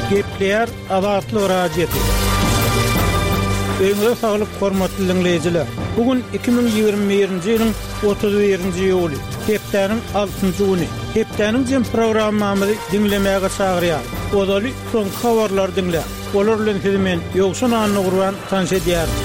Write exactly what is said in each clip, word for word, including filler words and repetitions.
Gepleýär Azatlyk Radiosy. Öýüňize saglyk, hormatly diňleýjiler. Bu gün iki müň ýigrimi birinji ýylyň otuz birinji iýuly, hepdäniň altynjy güni. Hepdäniň jem programmamyzy diňlemäge çagyrýar. Ozaly soňky habarlary diňläň. Olar bilen sizi men Ýowşan Annagurban tanyş edýärin.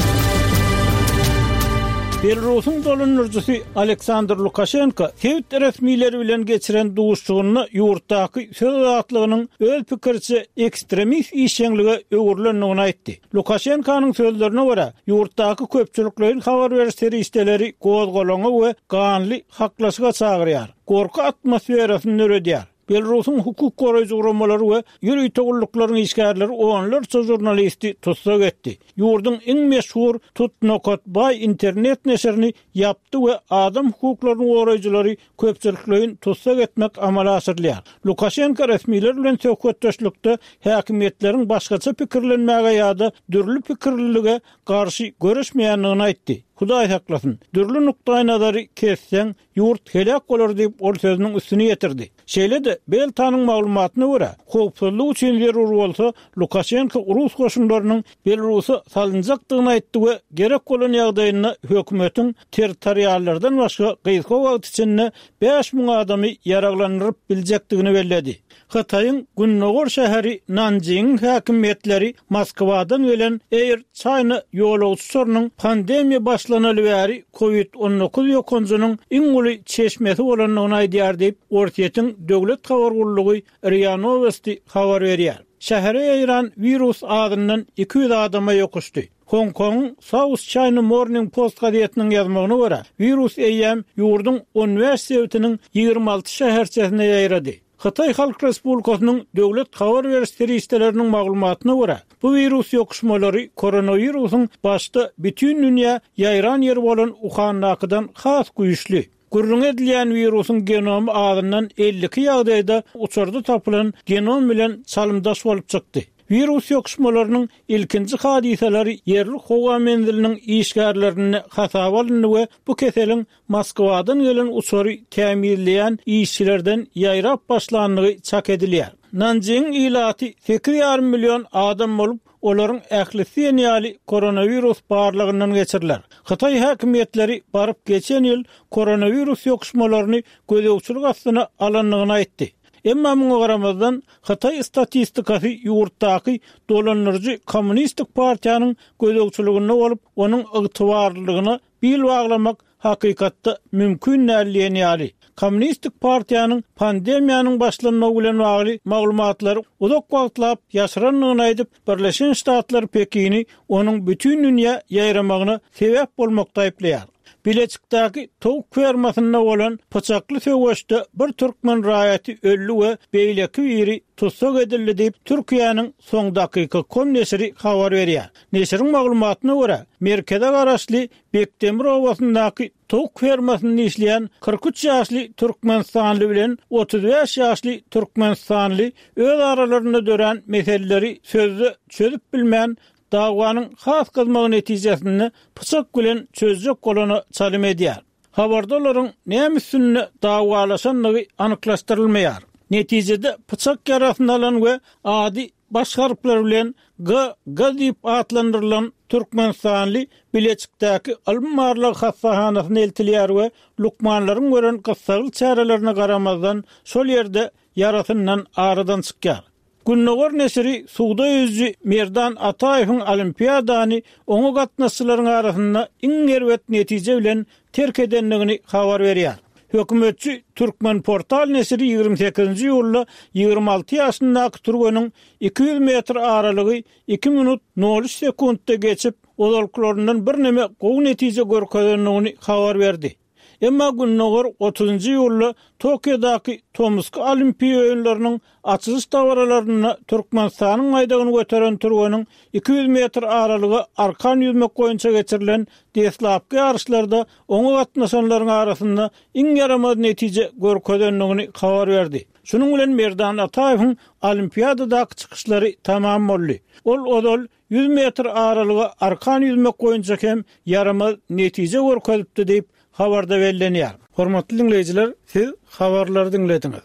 Belarusyň dolandyryjysy Aleksandr Lukaşenko sebit resmileri bilen geçiren duşuşygynda ýurtdaky söz azatlygynyň öz pikiriçe ekstremist işjeňlige öwrülendigini aýtdy. Lukaşenkonyň sözlerine görä, ýurtdaky köpçülikleýin habar beriş serişdeleri gozgalaňa we ganly haklaşyga çagyrýar, gorky atmosferasyny döredýär. Belarusyň hukuk goraýjy guramalary we ýörite gulluklaryň işgärleri onlarça žurnalisti tussag etdi. Ýurduň iň meşhur Tut.by internet neşirini ýapdy we adam hukuklaryny goraýjylary köpçülikleýin tussag etmek amala aşyrylýar. Lukaşenko resmiler bilen söhbetdeşlikde häkimiýetleriň başgaça pikirlenmäge ýa-da dürli pikirlilige garşy göreşmeýändigini aýtdy. Hudaý saklasyn, dürli nukdaý nazary kesseň, ýurt heläk bolar diýip ol sözüniň üstüni ýetirdi. Şeýle-de Beltanyň maglumatyna görä, howpsuzlyk üçin zerur bolsa, Lukaşenko rus goşunlarynyň Belarusa salynjakdygyny aýtdy we gerek bolan ýagdaýynda hökümetiň territoriallardan başga gysga wagt içinde bäş müň adamy ýaraglandyryp biljekdigini belledi. Hytaýyň Gündogar şäheri Nanjingiň häkimiýetleri Moskwadan gelen Air China ýolagçy uçarynyň pandemiýa başlanaly bäri COVID on dokuz ýokanjynyň iň uly çeşmesi bolandygyny aýdýar diýip, Orsýetiň döwlet habar gullugy RIA Novosti habar berýär. Şähere ýaýran wirus adyndan iki ýüz adama ýokuşdy. Hong Kong'un South China Morning Post gazetiniň ýazmagyna görä, wirus eýýäm ýurduň on bäş sebitiniň ýigrimi alty şäherçesine ýaýrady. Hytaý Halk Respublikasynyň döwlet habar beriş serişdeleriniň maglumatyna görä, bu wirus ýokuşmalary koronawirusyň başda bütün dünýä ýaýran ýeri bolan Wuhandakydan has güýçli. Gürrüň edilýän wirusyň genomy azyndan elli iki ýagdaýda uçarda tapylan genom bilen çalymdaş bolup çykdy. Wirus ýokuşmalarynyň ilkinji hadysalary ýerli howa menziliniň işgärlerinde hasaba alyndy we bu keseliň Moskwadan gelen uçary tämizleýän işçilerden ýaýrap başlandygy çak edilýär. Nanjingiň ilaty sekiz ýarym million adam bolup, olaryň ählisi diýen ýaly koronawirus barlygyndan geçiriler. Hytaý häkimiýetleri baryp geçen ýyl koronawirus ýokuşmalaryny gözegçilik astyna alandygyny aýtdy. Emma muňa garamazdan, Hytaý statistikasy ýurtdaky dolandyryjy kommunistik partiýanyň gözegçiliginde bolup, onuň ygtybarlylygyna bil baglamak hakykatda mümkin däl diýen ýaly. Kommunistik partiýanyň pandemiýanyň başlanmagy bilen bagly maglumatlary uzak wagtlap ýaşyrandygyny aýdyp, Birleşen Ştatlar Pekini onuň bütün dünýä ýaýramagyna sebäp bolmakda aýyplaýar. Bileçikdäki towuk fermasynda bolan pyçakly söweşde bir türkmen raýaty öldi we beýleki biri tussag edildi diýip, Türkiýäniň Son dakika kom neşiri habar berýär. Neşiriň maglumatyna görä, merkeze garaşly Bekdemir obasyndaky towuk fermasynda işleýän kyrk üç ýaşly Türkmenistanly bilen otuz bäş ýaşly Türkmenistanly öz aralarynda dörän meseleleri sözde çözüp bilmän, dawanyň has gyzmagy netijesinde pyçak bilen çözjek bolana çalym edýär. Habarda olaryň näme üstünde dawalaşandygy anyklaşdyrylmaýar. Netijede pyçak ýarasyny alan we ady baş harplar bilen G, G diýip atlandyrylan Türkmenistanly Bileçikdäki ylym barlag hassahanasyna eltilýär we lukmanlaryň gören gyssagly çärelerine garamazdan şol ýerde ýarasyndan aradan çykýar. Gündogar neşiri suwda ýüzüji Merdan Ataýewiň olimpiadany oňa gatnaşyjylaryň arasynda iň erbet netije bilen terk edendigini habar berýär. Hökümetçi Türkmen portal neşiri ýigrimi sekizinji iýulda ýigrimi alty ýaşyndaky türgeniň iki ýüz metr aralygy iki minut nol üç sekuntda geçip, ozalkylaryndan birneme gowy netije görkezendigini habar berdi. Emma Gündogar otuzynjy iýulda Tokiodaky Tomusky Olimpiýa oýunlarynyň açylyş dabaralarynda Türkmenistanyň baýdagyny göteren türgeniň iki ýüz metr aralyga arkan ýüzmek boýunça geçirilen deslapky ýaryşlarda oňa gatnaşanlaryň arasynda iň ýaramaz netije görkezendigini habar berdi. Şunuň bilen Merdan Ataýewiň olimpiadadaky çykyşlary tamam boldy. Ol ozal ýüz metr aralyga arkan ýüzmek boýunça hem ýaramaz netije görkezipdi diýip habarda bellenýär. Hormatly diňleýjiler, siz habarlary diňlediňiz.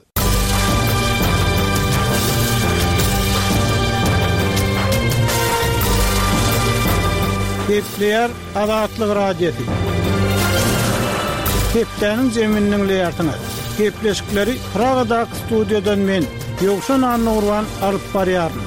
Gepleýär Azatlyk Radiosy. Hepdäniň jemini diňleýärsiňiz. Gepleşikleri Pragadaky studiýadan men, Ýowşan Annagurban alyp barýaryn.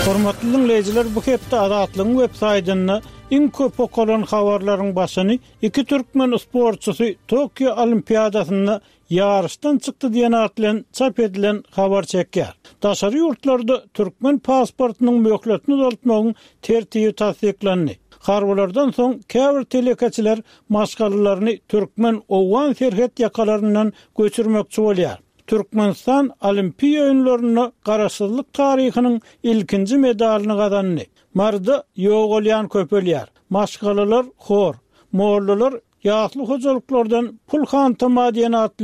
Hormatly diňleýjiler, bu hepde Azatlygyň web saýtynda iň köp okalan habarlaryň başyny iki türkmen sportçysy Tokio Olimpiadasynda ýaryşdan çykdy diýen at bilen çap edilen habar çekýär. Daşary ýurtlarda türkmen pasportynyň möhletini uzaltmagyň tertibi tassyklandy. Harbylardan soň käbir telekeçiler maşgalalaryny türkmen-owgan serhet ýakalaryndan göçürmekçi bolýar. Türkmenistan Olimpiýa oýunlarynda garaşsyzlyk taryhynyň ilkinji medalyny gazandy. Maryda ýogalýan köpelýär. Maşgalalar hor. Mollalar ýasly hojalyklardan pul hantama diýen at bilen